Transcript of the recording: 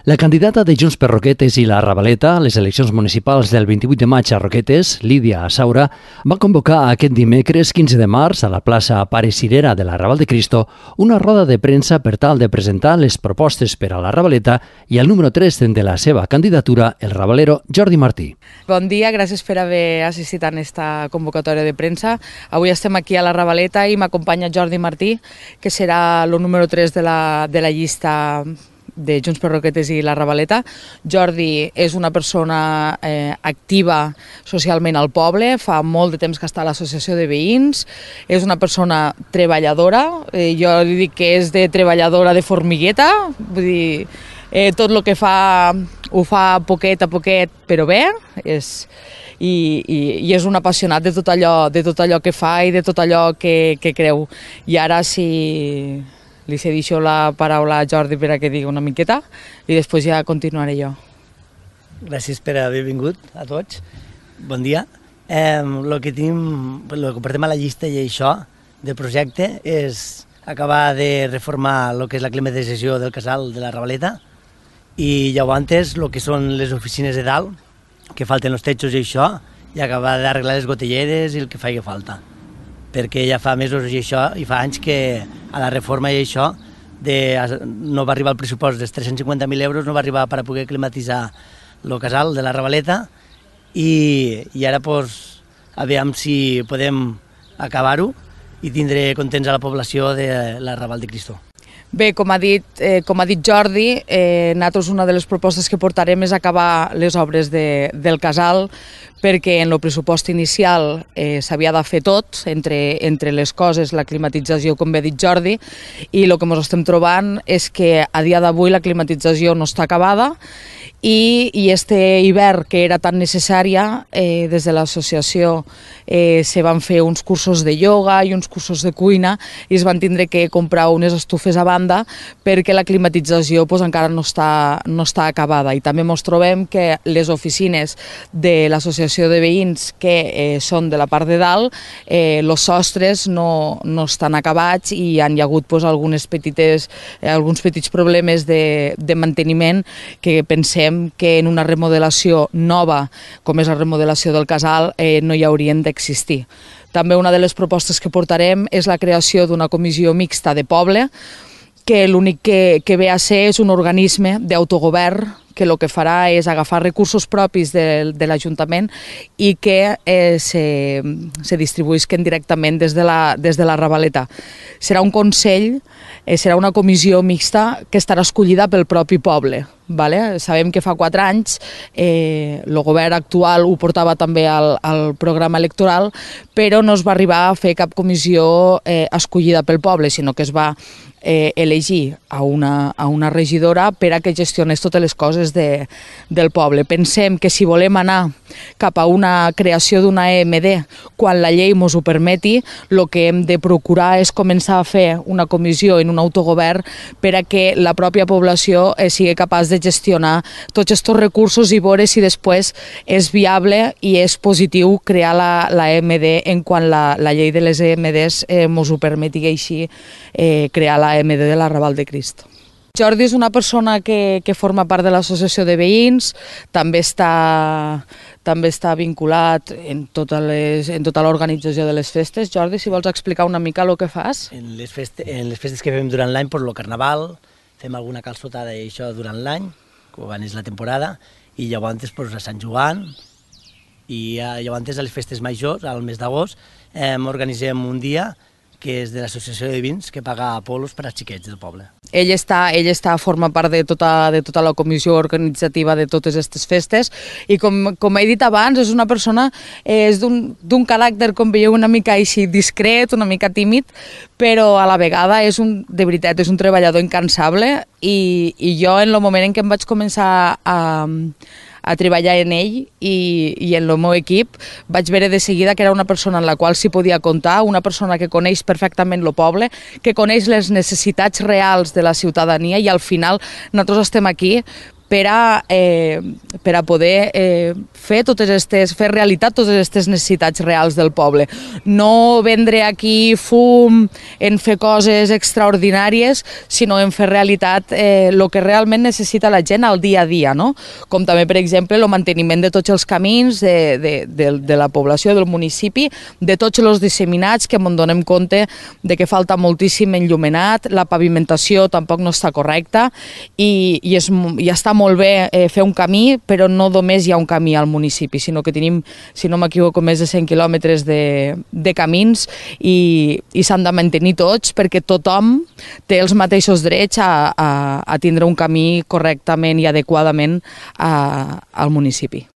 La candidata de Junts per Roquetes i la Ravaleta a les eleccions municipals del 28 de maig a Roquetes, Lídia Saura, va convocar aquest dimecres 15 de març a la plaça Pare Cirera de la Raval de Cristo una roda de premsa per tal de presentar les propostes per a la Ravaleta i el número 3 de la seva candidatura, el ravalero Jordi Martí. Bon dia, gràcies per haver assistit a aquesta convocatòria de premsa. Avui estem aquí a la Ravaleta i m'acompanya Jordi Martí, que serà el número 3 de la llista de Junts per Roquetes i la Ravaleta. Jordi és una persona activa socialment al poble, fa molt de temps que està a l'associació de veïns, és una persona treballadora, jo li dic que és de treballadora de formigueta, vull dir, tot el que fa ho fa poquet a poquet però bé, i és un apassionat de tot allò que fa i de tot allò que creu. I ara si li cedixo la paraula a Jordi per a que digui una miqueta i després ja continuaré jo. Gràcies per haver vingut a tots. Bon dia. El que portem a la llista i això del projecte és acabar de reformar el que és la climatització del casal de la Ravaleta i llavors el que són les oficines de dalt, que falten els techos i això, i acabar d'arreglar les gotelleres i el que faci falta. Perquè ja fa mesos i això, i fa anys que a la reforma i això no va arribar el pressupost dels 350.000 euros, no va arribar per a poder climatitzar el casal de la Ravaleta i ara aviam si podem acabar-ho i tindré contents a la població de la Raval de Cristo. Bé, com ha dit Jordi, nosaltres una de les propostes que portarem és acabar les obres del casal, perquè en el pressupost inicial s'havia de fer tot, entre les coses, la climatització, com bé ha dit Jordi, i el que ens estem trobant és que a dia d'avui la climatització no està acabada i este hivern, que era tan necessària, des de l'associació se van fer uns cursos de ioga i uns cursos de cuina i es van tindre que comprar unes estufes a banda perquè la climatització encara no està acabada. I també ens trobem que les oficines de l'associació de veïns que són de la part de dalt, els sostres no estan acabats i hi ha hagut alguns petits problemes de manteniment que pensem que en una remodelació nova, com és la remodelació del casal, no hi haurien d'existir. També una de les propostes que portarem és la creació d'una comissió mixta de poble, que l'únic que ve a ser és un organisme d'autogovern que el que farà és agafar recursos propis de l'Ajuntament i que se distribuïsquen directament des de la Ravaleta. Serà un consell, serà una comissió mixta que estarà escollida pel propi poble. Sabem que fa 4 anys el govern actual ho portava també al programa electoral, però no es va arribar a fer cap comissió escollida pel poble, sinó que es va elegir a una regidora per a que gestionés totes les coses del poble. Pensem que si volem anar cap a una creació d'una EMD, quan la llei ens ho permeti, el que hem de procurar és començar a fer una comissió en un autogovern per a que la pròpia població sigui capaç de gestionar tots aquests recursos i veure si després és viable i és positiu crear la EMD en quan la llei de les EMDs ens ho permeti així crear la EMD de la Raval de Cristo. Jordi és una persona que forma part de l'associació de veïns, també està vinculat en tota l'organització de les festes. Jordi, si vols explicar una mica el que fas? En les festes que fem durant l'any, el carnaval, fem alguna calçotada i això durant l'any, quan és la temporada, i llavors a Sant Joan, i llavors a les festes majors, al mes d'agost, organitzem un dia que és de l'associació de veïns que paga polos per als xiquets del poble. Ell forma part de tota la comissió organitzativa de totes aquestes festes i com he dit abans, és una persona d'un caràcter, com veieu, una mica així discret, una mica tímid, però a la vegada de veritat és un treballador incansable i jo en el moment en què em vaig començar a treballar en ell i en el meu equip, vaig veure de seguida que era una persona en la qual s'hi podia comptar, una persona que coneix perfectament el poble, que coneix les necessitats reals de la ciutadania i al final nosaltres estem aquí per a poder fer realitat totes aquestes necessitats reals del poble. No vendre aquí fum en fer coses extraordinàries, sinó en fer realitat el que realment necessita la gent al dia a dia, no? Com també, per exemple, el manteniment de tots els camins de la població, del municipi, de tots els disseminats, que ens donem compte de que falta moltíssim enllumenat, la pavimentació tampoc no està correcta i està molt bé fer un camí, però no només hi ha un camí al municipi, sinó que tenim, si no m'equivoco, més de 100 quilòmetres de camins i s'han de mantenir tots perquè tothom té els mateixos drets a tindre un camí correctament i adequadament al municipi.